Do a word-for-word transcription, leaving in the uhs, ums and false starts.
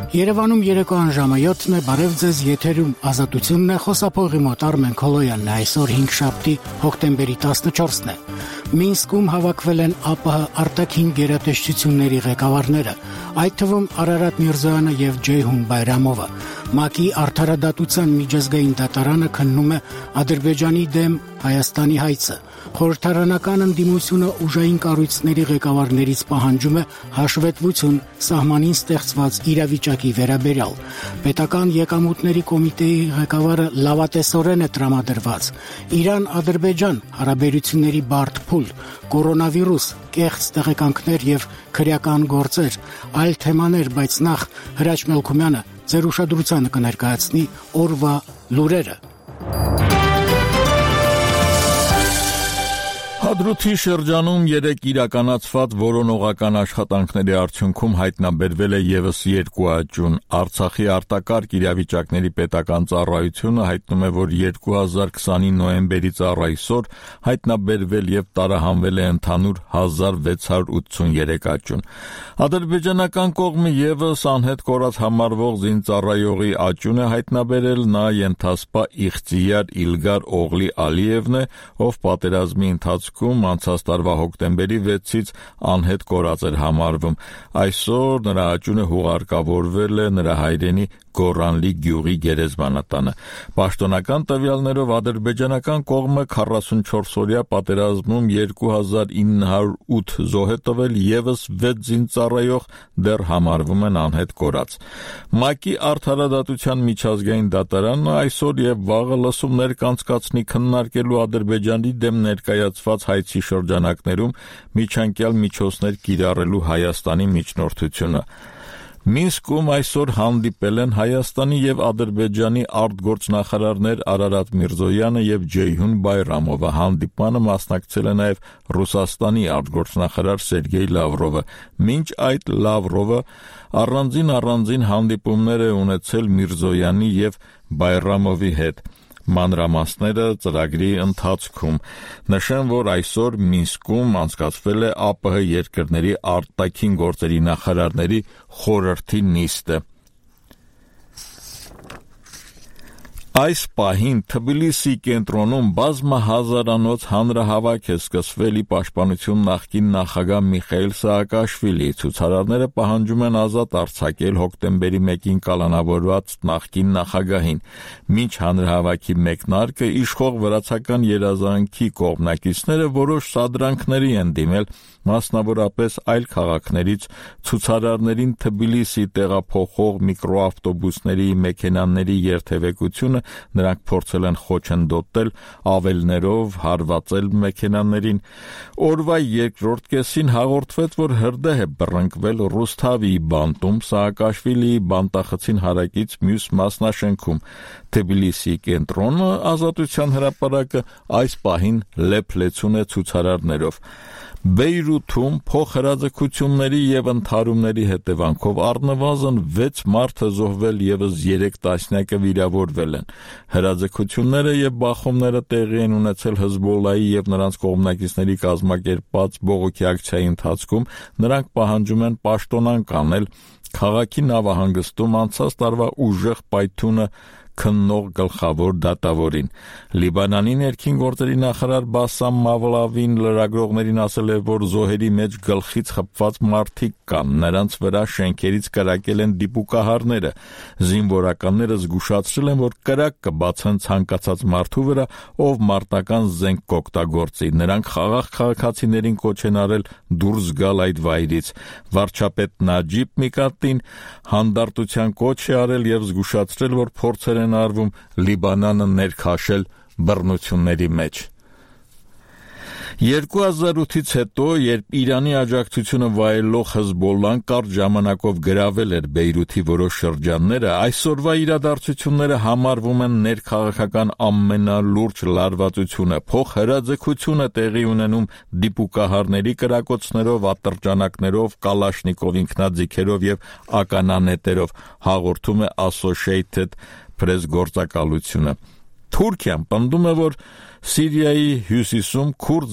Երևանում երեկոյան ժամը յոթն է, բարև ձեզ, եթերում Ազատությունն է, խոսափողի մոտ Արմեն Քոլոյանն է, այսօր հինգշաբթի հոկտեմբերի տասնչորսն է։ Մինսկում հավաքվել են ԱՊՀ արտաքին գերատեսչությունների ղեկավարները, այդ թվում Արարատ Միրզոյանը եւ Ջեյհուն Բայրամովը։ ՄԱԿ-ի արդարադատության միջազգային դատարանը քննում է Ադրբեջանի դեմ Հայաստանի հայցը։ Խորհրդարանական ընդդիմությունը ուժային կառույցների ղեկավարներից պահանջում է հաշվետվություն սահմանին ստեղծված իրավիճակի վերաբերյալ։ Պետական եկամուտների կոմիտեի ղեկավարը լավատեսորեն է տրամադրված։ Իրան-Ադրբեջան հարաբերությունների բարդ փուլ, կորոնավիրուս, կեղծ տեղեկանքներ եւ քրեական գործեր, այլ թեմաներ, բայց նախ Հրաչ Մելքումյանը ձեր ուշադրությանը կներկայացնի օրվա լուրերը։ Հադրութի շրջանում երեկ իրականացված որոնողական աշխատանքների արդյունքում հայտնաբերվել է ևս երկու աճուն։ Արցախի արտակարգ իրավիճակների պետական ծառայությունը հայտնում է, որ երկու հազար քսանի նոյեմբերից առ այսօր հայտնաբերվել եւ տարահանվել է ընդհանուր հազար վեց հարյուր ութսուններեք աճուն։ Ադրբեջանական կողմը ևս անհետ կորած համարվող զինծառայողի աճուն է հայտնաբերել, նա ենթասպա Իղծիյար Իլգար Օղլի Ալիևն է, ով պատերազմի ընթացքում անցած տարվա հոկտեմբերի վեցից անհետ կորած էր համարվում։ Այսօր նրա աճունը հուղարկավորվել է նրա հայրենի Գորանլի գյուղի գերեզմանատանը։ Պաշտոնական տվյալներով ադրբեջանական կողմը քառասունչորսօրյա պատերազմում երկու հազար ինը հարյուր ութ զոհ է տվել, ևս վեց զինծառայող դեռ համարվում են անհետ կորած։ ՄԱԿ-ի արդարադատության միջազգային դատարանը այսօր եւ վաղը լսումներ կանցկացնի քննարկելու Ադրբեջանի դեմ ներկայացված հայցի շրջանակներում միջանկյալ միջոցներ կիրառելու Հայաստանի միջնորդությունը։ Մինսկում այսօր հանդիպել են Հայաստանի եւ Ադրբեջանի արտգործնախարարներ Արարատ Միրզոյանը եւ Ջեյհուն Բայրամովը։ Հանդիպմանը մասնակցել է նաեւ Ռուսաստանի արտգործնախարար Սերգեյ Լավրովը։ Մինչ այդ Լավրովը առանձին առանձին հանդիպումներ է ունեցել Միրզոյանի եւ Բայրամովի հետ։ Մանրամասները ծրագրի ընթացքում։ Նշեմ, որ այսօր Մինսկում անցկացվել է ԱՊՀ երկրների արտաքին գործերի նախարարների խորհրդի նիստը։ Այս պահին Թբիլիսի կենտրոնում բազմահազարանոց հանրահավաք է սկսվել ի պաշտպանություն նախկին նախագահ Միխայիլ Սաակաշվիլիի։ Ցուցարարները պահանջում են ազատ արձակել հոկտեմբերի մեկին կալանավորված նախկին նախագահին։ Մինչ հանրահավաքի մեկնարկը իշխող վրացական երազանքի կողմնակիցները որոշ սադրանքների են դիմել, մասնավորապես այլ քաղաքներից ցուցարարներին Թբիլիսի տեղափոխող միկրոավտոբուսների մեքենաների երթևեկությունը նրանք փորձել են խոչընդոտել ավելներով հարվածել մեքենաներին։ Օրվա երկրորդ կեսին հաղորդվեց, որ հրդեհ է բռնկվել Ռուսթավիի բանտում Սաակաշվիլիի բանտախցին հարակից մյուս մասնաշենքում։ Թբիլիսի կենտրոնը Ազատության հրապարակը այս պահին լեփլեցուն է ցուցարարներով։ Բեյրութում փոխհրաձգությունների եւ ընդհարումների հետևանքով առնվազն վեց մարդ է զոհվել, ևս երեք տասնյակը վիրավորվել են։ Հրաձգությունները եւ բախումները տեղի են ունեցել Հզբոլլայի եւ նրանց կողմնակիցների կազմակերպած բողոքի ակցիայի ընթացքում։ Նրանք պահանջում են պաշտոնանկ անել քաղաքի նավահանգստում անցած տարվա ուժեղ պայթյունը քննող գլխավոր դատավորին։ Լիբանանի ներքին գործերի նախարար Բասամ Մավլավին լրագրողներին ասել է, որ զոհերի մեջ գլխից խփված մարդիկ կան, նրանց վրա շենքերից կրակել են դիպուկահարները։ Զինվորականները զգուշացրել են, որ կրակ կբացեն ցանկացած մարդու վրա, ով մարտական զենք կօգտագործի։ Նրանք խաղաղ քաղաքացիներին կոչ են արել դուրս գալ այդ վայրից։ Վարչապետ Նաջիբ Միկատին հանդարտության կոչ է արել եւ զգուշացրել, որ փորձեր են արվում Լիբանանը ներքաշել բռնությունների մեջ։ երկու հազար ութից հետո, երբ Իրանի աջակցությունը վայելող Հզբոլլան կարճ ժամանակով գրավել էր Բեյրութի որոշ շրջանները, այսօրվա իրադարձությունները համարվում են ներքաղաքական ամենալուրջ լարվածությունը։ Փոխհրաձգություն է տեղի ունենում դիպուկահարների կրակոցներով, ատրճանակներով, Կալաշնիկով ինքնաձիգերով եւ ականանետերով, հաղորդում է Associated Press գործակալությունը։ Թուրքիան պնդում է, որ Սիրիայի հյուսիսում քուրդ